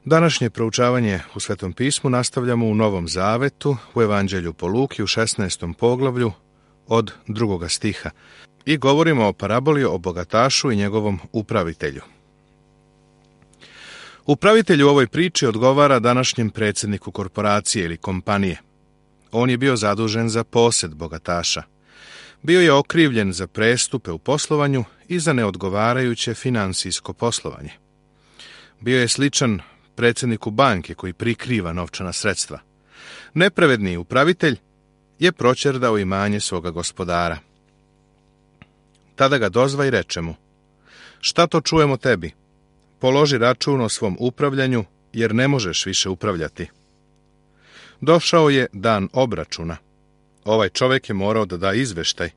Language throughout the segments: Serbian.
Današnje proučavanje u Svetom pismu nastavljamo u Novom Zavetu, u Evanđelju po Luki, u 16. poglavlju od 2. stiha i govorimo o paraboli o bogatašu i njegovom upravitelju. Upravitelj u ovoj priči odgovara današnjem predsjedniku korporacije ili kompanije. On je bio zadužen za posed bogataša. Bio je okrivljen za prestupe u poslovanju i za neodgovarajuće finansijsko poslovanje. Bio je sličan predsjedniku banke koji prikriva novčana sredstva. Nepravedni upravitelj je proćerdao imanje svoga gospodara. Tada ga dozva i reče mu: "Šta to čujemo tebi? Položi račun o svom upravljanju, jer ne možeš više upravljati." Došao je dan obračuna. Ovaj čovjek je morao da da izveštaj.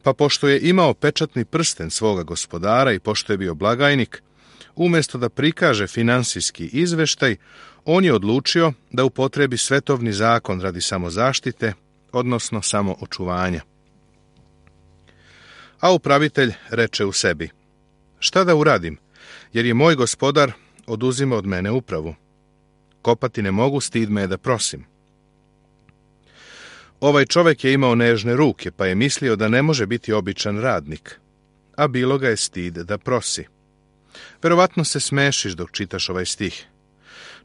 Pa pošto je imao pečatni prsten svoga gospodara i pošto je bio blagajnik, umjesto da prikaže finansijski izveštaj, on je odlučio da upotrebi svetovni zakon radi samozaštite, odnosno samoočuvanja. A upravitelj reče u sebi: "Šta da uradim, jer je moj gospodar oduzima od mene upravu. Kopati ne mogu, stid me je da prosim." Ovaj čovjek je imao nežne ruke, pa je mislio da ne može biti običan radnik, a bilo ga je stid da prosi. Verovatno se smešiš dok čitaš ovaj stih.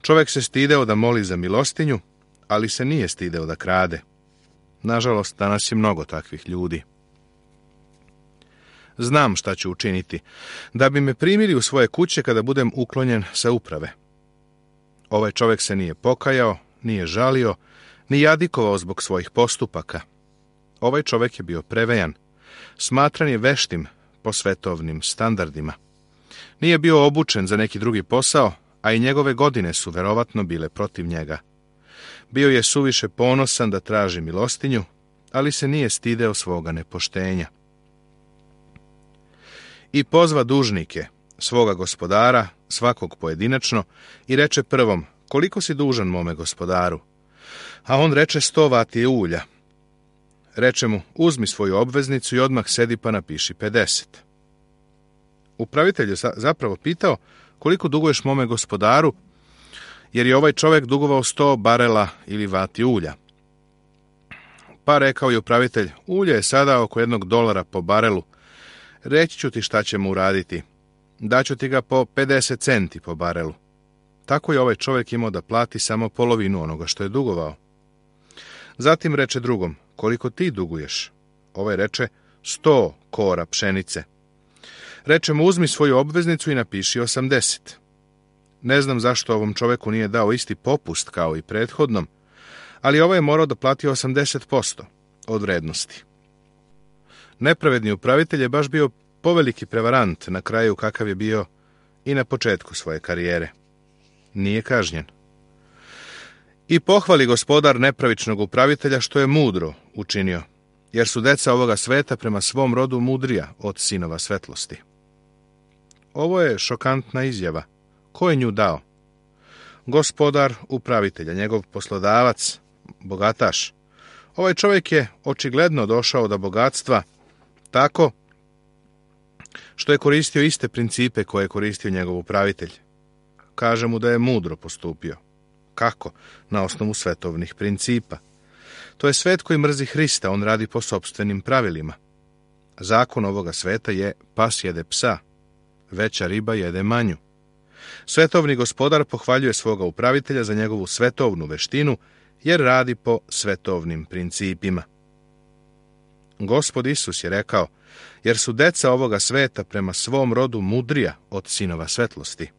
Čovjek se stideo da moli za milostinju, ali se nije stideo da krade. Nažalost, danas je mnogo takvih ljudi. Znam šta ću učiniti, da bi me primili u svoje kuće kada budem uklonjen sa uprave. Ovaj čovjek se nije pokajao, nije žalio, ni jadikovao zbog svojih postupaka. Ovaj čovjek je bio prevejan, smatran je veštim po svetovnim standardima. Nije bio obučen za neki drugi posao, a i njegove godine su verovatno bile protiv njega. Bio je suviše ponosan da traži milostinju, ali se nije stideo svoga nepoštenja. I pozva dužnike, svoga gospodara, svakog pojedinačno, i reče prvom: "Koliko si dužan mome gospodaru?" A on reče: 100 vati ulja. Reče mu: "Uzmi svoju obveznicu i odmah sedi pa napiši 50. Upravitelj je zapravo pitao: "Koliko duguješ mome gospodaru?" jer je ovaj čovjek dugovao 100 barela ili vati ulja. Pa rekao je upravitelj: "Ulje je sada oko $1 po barelu. Reći ću ti šta ćemo uraditi. Daću ti ga po 50 centi po barelu." Tako je ovaj čovjek imao da plati samo polovinu onoga što je dugovao. Zatim reče drugom: "Koliko ti duguješ?" Ovaj reče: 100 kora pšenice. Reče mu: "Uzmi svoju obveznicu i napiši 80. Ne znam zašto ovom čovjeku nije dao isti popust kao i prethodnom, ali ovaj je morao da plati 80% od vrednosti. Nepravedni upravitelj je baš bio poveliki prevarant na kraju kakav je bio i na početku svoje karijere. Nije kažnjen. I pohvali gospodar nepravičnog upravitelja što je mudro učinio, jer su deca ovoga sveta prema svom rodu mudrija od sinova svetlosti. Ovo je šokantna izjava. Ko je nju dao? Gospodar upravitelja, njegov poslodavac, bogataš. Ovaj čovjek je očigledno došao do bogatstva tako što je koristio iste principe koje je koristio njegov upravitelj. Kaže mu da je mudro postupio. Kako? Na osnovu svetovnih principa. To je svet koji mrzi Hrista, on radi po sopstvenim pravilima. Zakon ovoga sveta je: pas jede psa, veća riba jede manju. Svetovni gospodar pohvaljuje svoga upravitelja za njegovu svetovnu veštinu, jer radi po svetovnim principima. Gospod Isus je rekao: "Jer su deca ovoga sveta prema svom rodu mudrija od sinova svetlosti."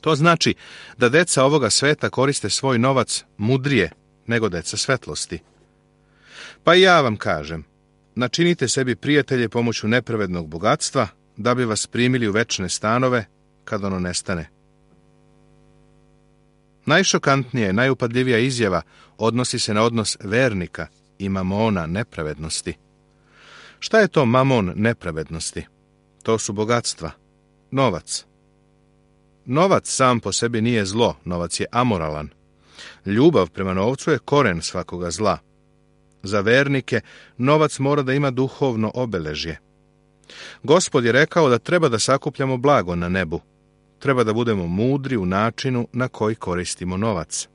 To znači da deca ovoga sveta koriste svoj novac mudrije nego deca svetlosti. Pa i ja vam kažem, načinite sebi prijatelje pomoću nepravednog bogatstva, da bi vas primili u večne stanove kad ono nestane. Najšokantnije, najupadljivija izjava odnosi se na odnos vernika i mamona nepravednosti. Šta je to mamon nepravednosti? To su bogatstva, novac. Novac sam po sebi nije zlo, novac je amoralan. Ljubav prema novcu je koren svakoga zla. Za vernike novac mora da ima duhovno obeležje. Gospod je rekao da treba da sakupljamo blago na nebu. treba da budemo mudri u načinu na koji koristimo novac.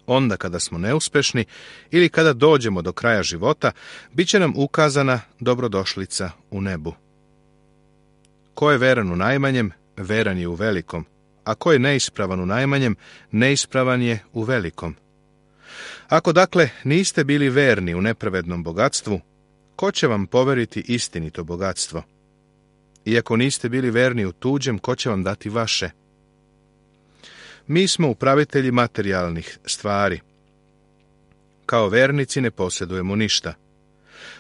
Onda kada smo neuspešni ili kada dođemo do kraja života, bit će nam ukazana dobrodošlica u nebu. Ko je veran u najmanjem, veran je u velikom, a ko je neispravan u najmanjem, neispravan je u velikom. Ako dakle niste bili verni u nepravednom bogatstvu, ko će vam poveriti istinito bogatstvo? I ako niste bili verni u tuđem, ko će vam dati vaše? Mi smo upravitelji materijalnih stvari. Kao vernici ne posjedujemo ništa.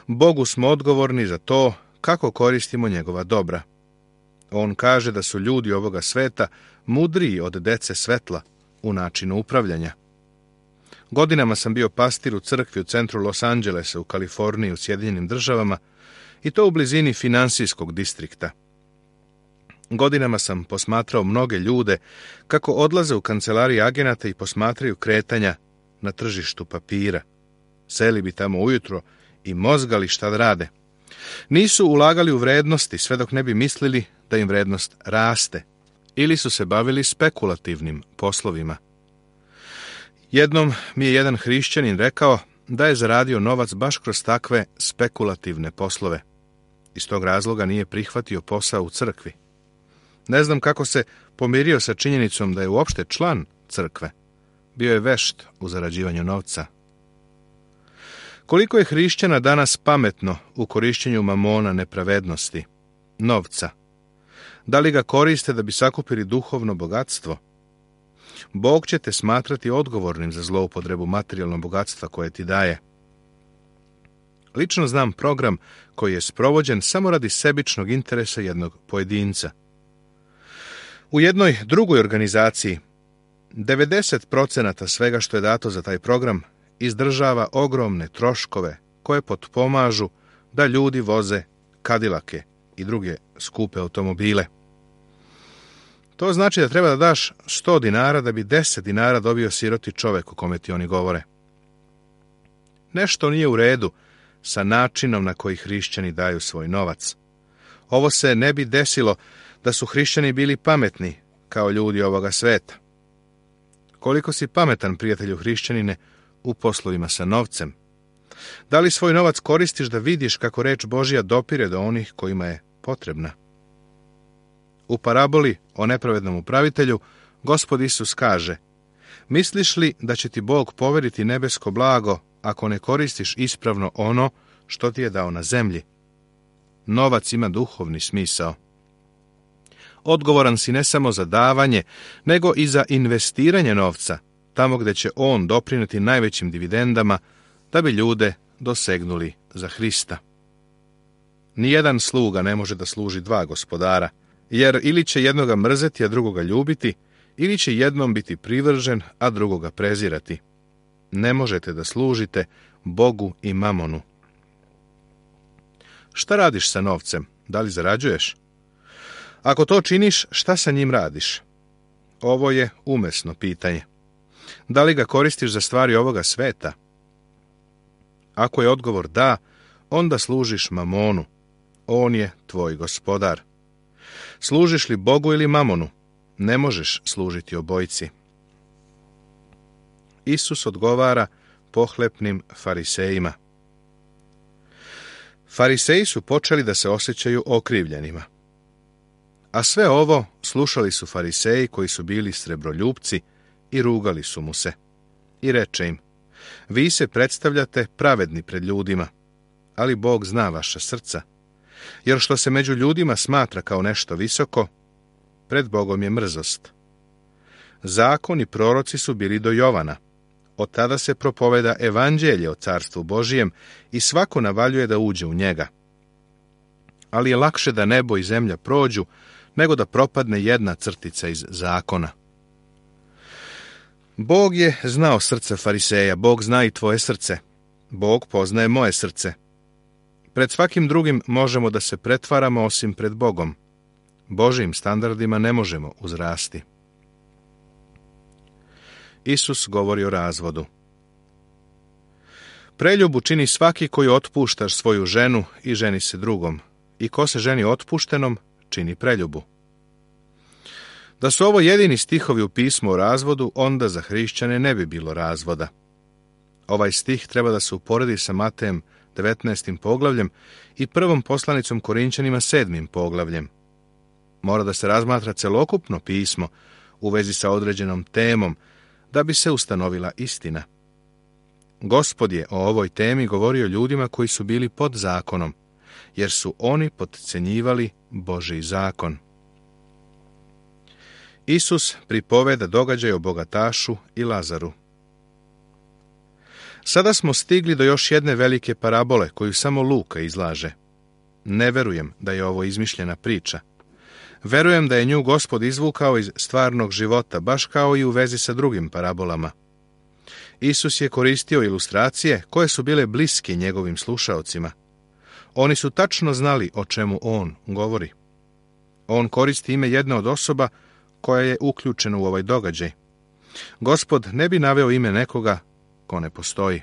Bogu smo odgovorni za to kako koristimo njegova dobra. On kaže da su ljudi ovoga sveta mudriji od dece svetla u načinu upravljanja. Godinama sam bio pastir u crkvi u centru Los Angelesa u Kaliforniji u Sjedinjenim Državama i to u blizini finansijskog distrikta. Godinama sam posmatrao mnoge ljude kako odlaze u kancelarije agenata i posmatraju kretanja na tržištu papira. Seli bi tamo ujutro i mozgali šta da rade. Nisu ulagali u vrednosti sve dok ne bi mislili da im vrednost raste, ili su se bavili spekulativnim poslovima. Jednom mi je jedan hrišćanin rekao da je zaradio novac baš kroz takve spekulativne poslove. Iz tog razloga nije prihvatio posao u crkvi. Ne znam kako se pomirio sa činjenicom da je uopšte član crkve. Bio je vešt u zarađivanju novca. Koliko je hrišćana danas pametno u korišćenju mamona nepravednosti, novca? Da li ga koriste da bi sakupili duhovno bogatstvo? Bog će te smatrati odgovornim za zloupotrebu materijalnog bogatstva koje ti daje. Lično znam program koji je sprovođen samo radi sebičnog interesa jednog pojedinca. U jednoj drugoj organizaciji 90% svega što je dato za taj program izdržava ogromne troškove koje potpomažu da ljudi voze Cadillake i druge skupe automobile. To znači da treba da daš 100 dinara da bi 10 dinara dobio siroti čovek o kome ti oni govore. Nešto nije u redu sa načinom na koji hrišćani daju svoj novac. Ovo se ne bi desilo da su hrišćani bili pametni kao ljudi ovoga sveta. Koliko si pametan, prijatelju hrišćanine, u poslovima sa novcem? Da li svoj novac koristiš da vidiš kako reč Božja dopire do onih kojima je potrebna? U paraboli o nepravednom upravitelju Gospod Isus kaže: misliš li da će ti Bog poveriti nebesko blago ako ne koristiš ispravno ono što ti je dao na zemlji? Novac ima duhovni smisao. Odgovoran si ne samo za davanje, nego i za investiranje novca, tamo gdje će on doprineti najvećim dividendama, da bi ljude dosegnuli za Hrista. Nijedan sluga ne može da služi dva gospodara, jer ili će jednoga mrzeti, a drugoga ljubiti, ili će jednom biti privržen, a drugoga prezirati. Ne možete da služite Bogu i mamonu. Šta radiš sa novcem? Da li zarađuješ? Ako to činiš, šta sa njim radiš? Ovo je umesno pitanje. Da li ga koristiš za stvari ovoga sveta? Ako je odgovor da, onda služiš mamonu. On je tvoj gospodar. Služiš li Bogu ili mamonu? Ne možeš služiti obojici. Isus odgovara pohlepnim farisejima. Fariseji su počeli da se osjećaju okrivljenima. A sve ovo slušali su fariseji koji su bili srebroljupci i rugali su mu se. I reče im: vi se predstavljate pravedni pred ljudima, ali Bog zna vaša srca, jer što se među ljudima smatra kao nešto visoko, pred Bogom je mrzost. Zakon i proroci su bili do Jovana. Od tada se propoveda evanđelje o carstvu Božijem i svako navaljuje da uđe u njega. Ali je lakše da nebo i zemlja prođu, nego da propadne jedna crtica iz zakona. Bog je znao srce fariseja, Bog zna i tvoje srce. Bog poznaje moje srce. Pred svakim drugim možemo da se pretvaramo osim pred Bogom. Božijim standardima ne možemo uzrasti. Isus govori o razvodu. Preljubu čini svaki koji otpušta svoju ženu i ženi se drugom, i ko se ženi otpuštenom, čini preljubu. Da su ovo jedini stihovi u pismu o razvodu, onda za hrišćane ne bi bilo razvoda. Ovaj stih treba da se uporedi sa Matejem 19. poglavljem i prvom poslanicom Korinćanima 7. poglavljem. Mora da se razmatra celokupno pismo u vezi sa određenom temom, da bi se ustanovila istina. Gospod je o ovoj temi govorio ljudima koji su bili pod zakonom, jer su oni potcenjivali Božji zakon. Isus pripoveda događaj o bogatašu i Lazaru. Sada smo stigli do još jedne velike parabole koju samo Luka izlaže. Ne verujem da je ovo izmišljena priča. Verujem da je nju Gospod izvukao iz stvarnog života, baš kao i u vezi sa drugim parabolama. Isus je koristio ilustracije koje su bile bliske njegovim slušaocima. Oni su tačno znali o čemu on govori. On koristi ime jedne od osoba koja je uključena u ovaj događaj. Gospod ne bi naveo ime nekoga ko ne postoji.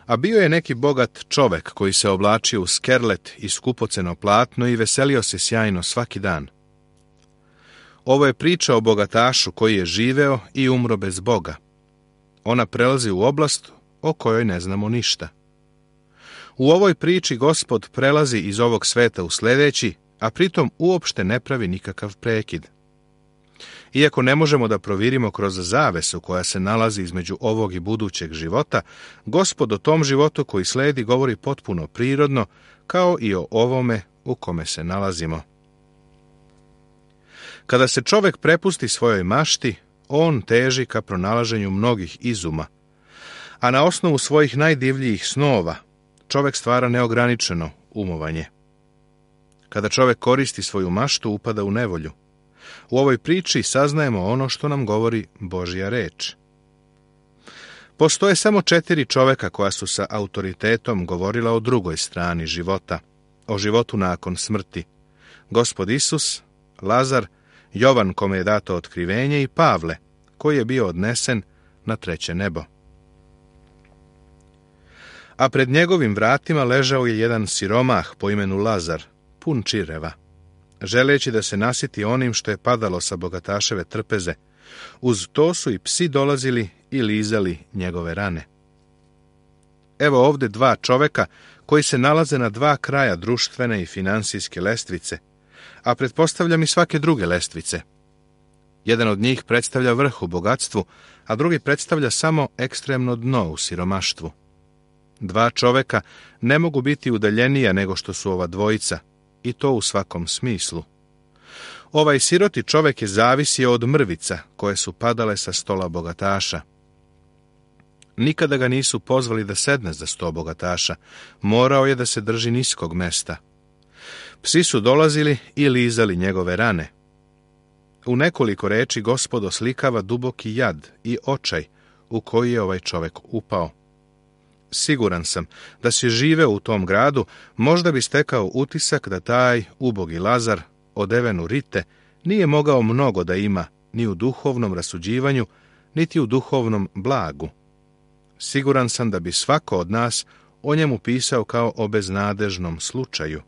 A bio je neki bogat čovek koji se oblačio u skerlet i skupoceno platno i veselio se sjajno svaki dan. Ovo je priča o bogatašu koji je živeo i umro bez Boga. Ona prelazi u oblast o kojoj ne znamo ništa. U ovoj priči Gospod prelazi iz ovog sveta u sljedeći, a pritom uopšte ne pravi nikakav prekid. Iako ne možemo da provirimo kroz zavesu koja se nalazi između ovog i budućeg života, Gospod o tom životu koji sledi govori potpuno prirodno, kao i o ovome u kome se nalazimo. Kada se čovek prepusti svojoj mašti, on teži ka pronalaženju mnogih izuma, a na osnovu svojih najdivljijih snova čovek stvara neograničeno umovanje. Kada čovek koristi svoju maštu, upada u nevolju. U ovoj priči saznajemo ono što nam govori Božja reč. Postoje samo 4 čoveka koja su sa autoritetom govorila o drugoj strani života, o životu nakon smrti. Gospod Isus, Lazar, Jovan kome je dato otkrivenje i Pavle, koji je bio odnesen na 3. nebo. A pred njegovim vratima ležao je jedan siromah po imenu Lazar, pun čireva, želeći da se nasiti onim što je padalo sa bogataševe trpeze. Uz to su i psi dolazili i lizali njegove rane. Evo ovde 2 čoveka koji se nalaze na 2 kraja društvene i finansijske lestvice, a pretpostavljam i svake druge lestvice. Jedan od njih predstavlja vrh u bogatstvu, a drugi predstavlja samo ekstremno dno u siromaštvu. 2 čoveka ne mogu biti udaljenija nego što su ova dvojica, i to u svakom smislu. Ovaj siroti čovek je zavisio od mrvica koje su padale sa stola bogataša. Nikada ga nisu pozvali da sedne za sto bogataša, morao je da se drži niskog mesta. Psi su dolazili i lizali njegove rane. U nekoliko reči Gospod oslikava duboki jad i očaj u koji je ovaj čovek upao. Siguran sam da si živeo u tom gradu, možda bi stekao utisak da taj ubogi Lazar, odeven u rite, nije mogao mnogo da ima ni u duhovnom rasuđivanju, niti u duhovnom blagu. Siguran sam da bi svako od nas o njemu pisao kao o beznadežnom slučaju.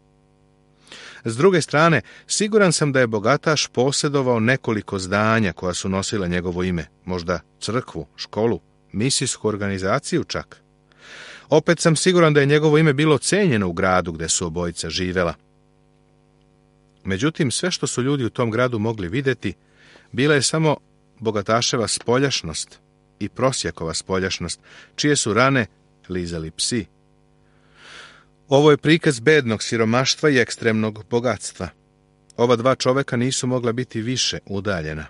S druge strane, siguran sam da je bogataš posjedovao nekoliko zdanja koja su nosila njegovo ime, možda crkvu, školu, misijsku organizaciju čak. Opet sam siguran da je njegovo ime bilo cenjeno u gradu gde su obojica živela. Međutim, sve što su ljudi u tom gradu mogli vidjeti, bila je samo bogataševa spoljašnost i prosjakova spoljašnost, čije su rane lizali psi. Ovo je prikaz bednog siromaštva i ekstremnog bogatstva. Ova 2 čoveka nisu mogla biti više udaljena.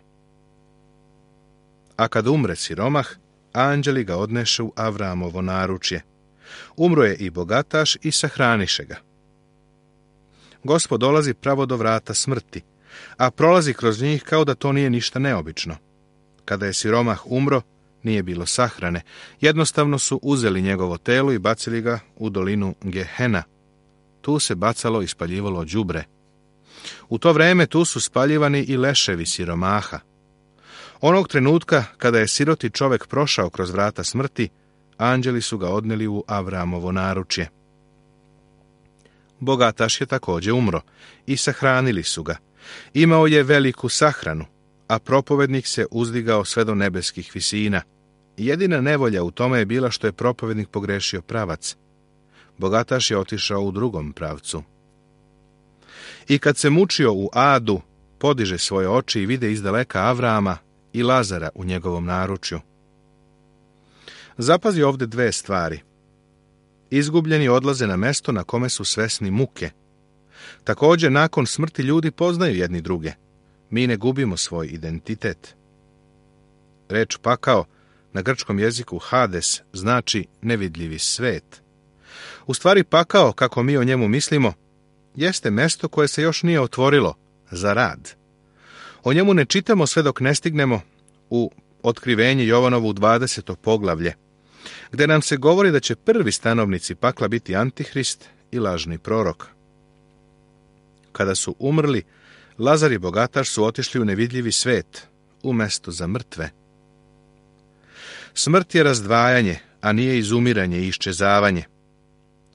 A kad umre siromah, anđeli ga odneše u Avramovo naručje. Umro je i bogataš i sahraniše ga. Gospod dolazi pravo do vrata smrti, a prolazi kroz njih kao da to nije ništa neobično. Kada je siromah umro, nije bilo sahrane. Jednostavno su uzeli njegovo telo i bacili ga u dolinu Gehena. Tu se bacalo i spaljivalo đubre. U to vreme tu su spaljivani i leševi siromaha. Onog trenutka kada je siroti čovek prošao kroz vrata smrti, anđeli su ga odneli u Avramovo naručje. Bogataš je također umro i sahranili su ga, Imao je veliku sahranu, a propovednik se uzdigao sve do nebeskih visina. Jedina nevolja u tome je bila što je propovednik pogrešio pravac. Bogataš je otišao u drugom pravcu. I kad se mučio u adu, podiže svoje oči i vide izdaleka Avrama i Lazara u njegovom naručju. Zapazi ovdje dve stvari. Izgubljeni odlaze na mesto na kome su svesni muke. Također, nakon smrti ljudi poznaju jedni druge. Mi ne gubimo svoj identitet. Reč pakao na grčkom jeziku Hades znači nevidljivi svet. U stvari pakao, kako mi o njemu mislimo, jeste mesto koje se još nije otvorilo za rad. O njemu ne čitamo sve dok ne stignemo u Otkrivenje Jovanovu 20. poglavlje, gdje nam se govori da će prvi stanovnici pakla biti Antihrist i lažni prorok. Kada su umrli, Lazar i bogataš su otišli u nevidljivi svet, u mesto za mrtve. Smrt je razdvajanje, a nije izumiranje i iščezavanje.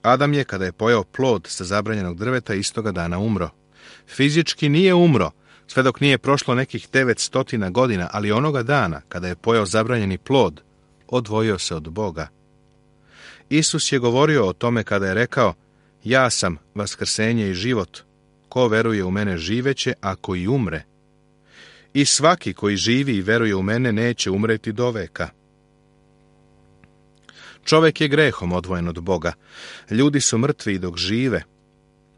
Adam je, kada je pojeo plod sa zabranjenog drveta, istoga dana umro. Fizički nije umro, sve dok nije prošlo nekih 900 godina, ali onoga dana, kada je pojeo zabranjeni plod, odvojio se od Boga. Isus je govorio o tome kada je rekao: ja sam vaskrsenje i život. Ko veruje u mene živeće, ako i umre. I svaki koji živi i veruje u mene neće umreti do veka. Čovjek je grehom odvojen od Boga. Ljudi su mrtvi i dok žive.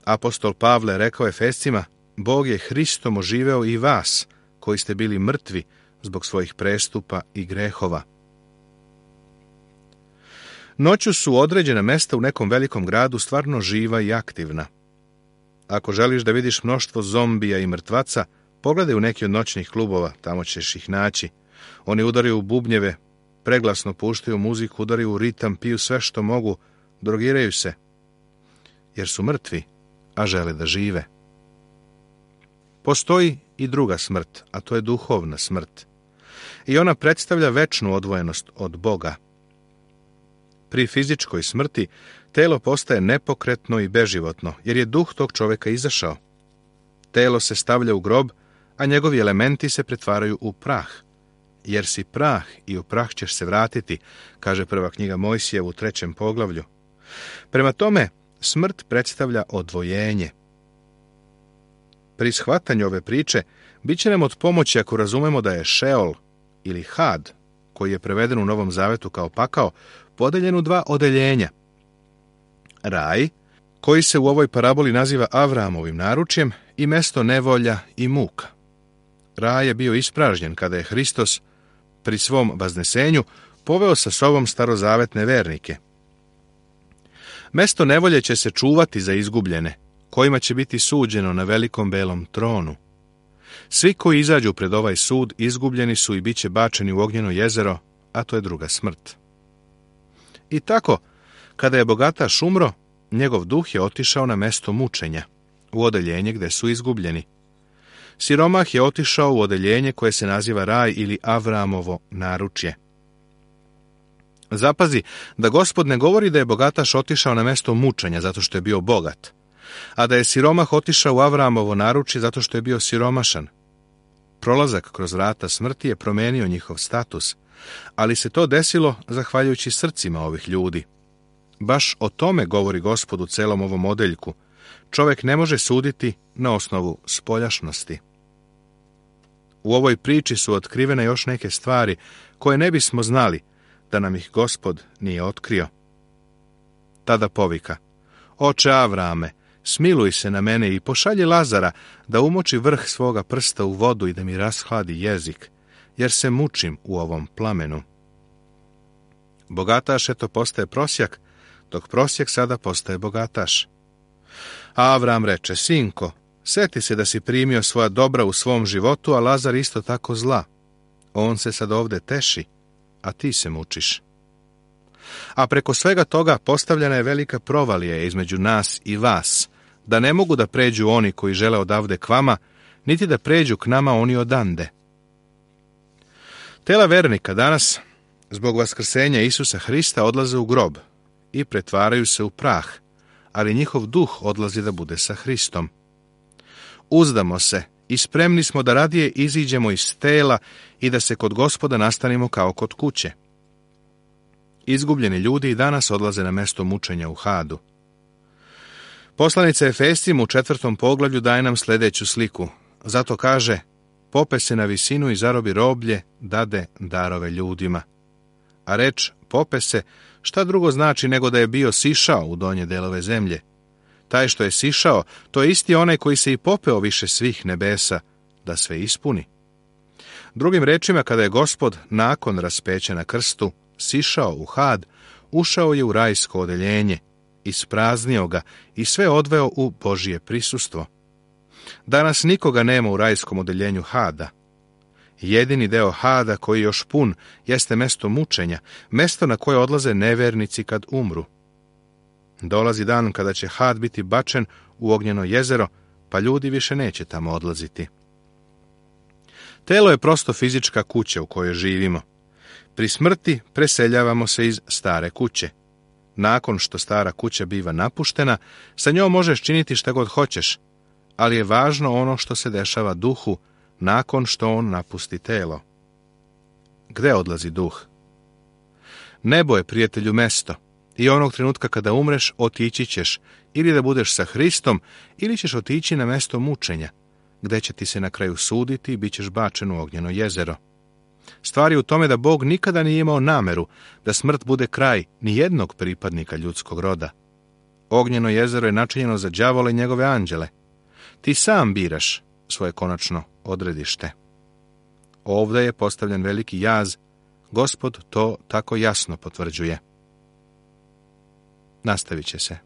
Apostol Pavle rekao Efescima: Bog je Hristom oživeo i vas, koji ste bili mrtvi zbog svojih prestupa i grehova. Noću su određena mesta u nekom velikom gradu stvarno živa i aktivna. Ako želiš da vidiš mnoštvo zombija i mrtvaca, pogledaj u neki od noćnih klubova, tamo ćeš ih naći. Oni udaraju u bubnjeve, preglasno puštaju muziku, udaraju u ritam, piju sve što mogu, drogiraju se, jer su mrtvi, a žele da žive. Postoji i druga smrt, a to je duhovna smrt. I ona predstavlja večnu odvojenost od Boga. Pri fizičkoj smrti telo postaje nepokretno i beživotno, jer je duh tog čovjeka izašao. Telo se stavlja u grob, a njegovi elementi se pretvaraju u prah. Jer si prah i u prah ćeš se vratiti, kaže prva knjiga Mojsijevu u 3. poglavlju. Prema tome, smrt predstavlja odvojenje. Pri shvatanju ove priče, bit će nam od pomoći ako razumemo da je Šeol ili Had, koji je preveden u Novom Zavetu kao pakao, podeljen u dva odeljenja. Raj, koji se u ovoj paraboli naziva Avramovim naručjem, i mesto nevolja i muka. Raj je bio ispražnjen kada je Hristos pri svom vaznesenju poveo sa sobom starozavetne vernike. Mesto nevolje će se čuvati za izgubljene, kojima će biti suđeno na velikom belom tronu. Svi koji izađu pred ovaj sud izgubljeni su i bit će bačeni u ognjeno jezero, a to je druga smrt. I tako, kada je bogataš umro, njegov duh je otišao na mesto mučenja, u odeljenje gdje su izgubljeni. Siromah je otišao u odeljenje koje se naziva Raj ili Avramovo naručje. Zapazi da Gospod ne govori da je bogataš otišao na mesto mučenja zato što je bio bogat, a da je siromah otišao u Avramovo naručje zato što je bio siromašan. Prolazak kroz vrata smrti je promijenio njihov status, ali se to desilo zahvaljujući srcima ovih ljudi. Baš o tome govori Gospod u celom ovom odeljku. Čovjek ne može suditi na osnovu spoljašnosti. U ovoj priči su otkrivene još neke stvari koje ne bismo znali da nam ih Gospod nije otkrio. Tada povika: Oče Avrame, smiluj se na mene i pošalji Lazara da umoči vrh svoga prsta u vodu i da mi rashladi jezik, jer se mučim u ovom plamenu. Bogataš eto postaje prosjak, dok prosjak sada postaje bogataš. A Avram reče: Sinko, seti se da si primio svoja dobra u svom životu, a Lazar isto tako zla. On se sad ovdje teši, a ti se mučiš. A preko svega toga postavljena je velika provalija između nas i vas, da ne mogu da pređu oni koji žele odavde k vama, niti da pređu k nama oni odande. Tela vernika danas, zbog vaskrsenja Isusa Hrista, odlaze u grob i pretvaraju se u prah, ali njihov duh odlazi da bude sa Hristom. Uzdamo se i spremni smo da radije iziđemo iz tela i da se kod Gospoda nastanimo kao kod kuće. Izgubljeni ljudi i danas odlaze na mesto mučenja u Hadu. Poslanica Efescima u 4. poglavlju daje nam sljedeću sliku. Zato kaže, pope se na visinu i zarobi roblje, dade darove ljudima. A reč pope se, šta drugo znači nego da je bio sišao u donje delove zemlje. Taj što je sišao, to je isti onaj koji se i popeo više svih nebesa, da sve ispuni. Drugim rečima, kada je Gospod nakon raspeća na krstu sišao u Had, ušao je u rajsko odeljenje, ispraznio ga i sve odveo u Božje prisustvo. Danas nikoga nema u rajskom odeljenju Hada. Jedini deo Hada koji je još pun jeste mesto mučenja, mesto na koje odlaze nevernici kad umru. Dolazi dan kada će Had biti bačen u ognjeno jezero, pa ljudi više neće tamo odlaziti. Telo je prosto fizička kuća u kojoj živimo. Pri smrti preseljavamo se iz stare kuće. Nakon što stara kuća biva napuštena, sa njom možeš činiti šta god hoćeš, ali je važno ono što se dešava duhu nakon što on napusti telo. Gde odlazi duh? Nebo je, prijatelju, mesto i onog trenutka kada umreš otići ćeš ili da budeš sa Hristom ili ćeš otići na mesto mučenja, gde će ti se na kraju suditi i bit ćeš bačen u ognjeno jezero. Stvar je u tome da Bog nikada nije imao nameru da smrt bude kraj ni jednog pripadnika ljudskog roda. Ognjeno jezero je načinjeno za đavola i njegove anđele. Ti sam biraš svoje konačno odredište. Ovdje je postavljen veliki jaz, Gospod to tako jasno potvrđuje. Nastavit će se.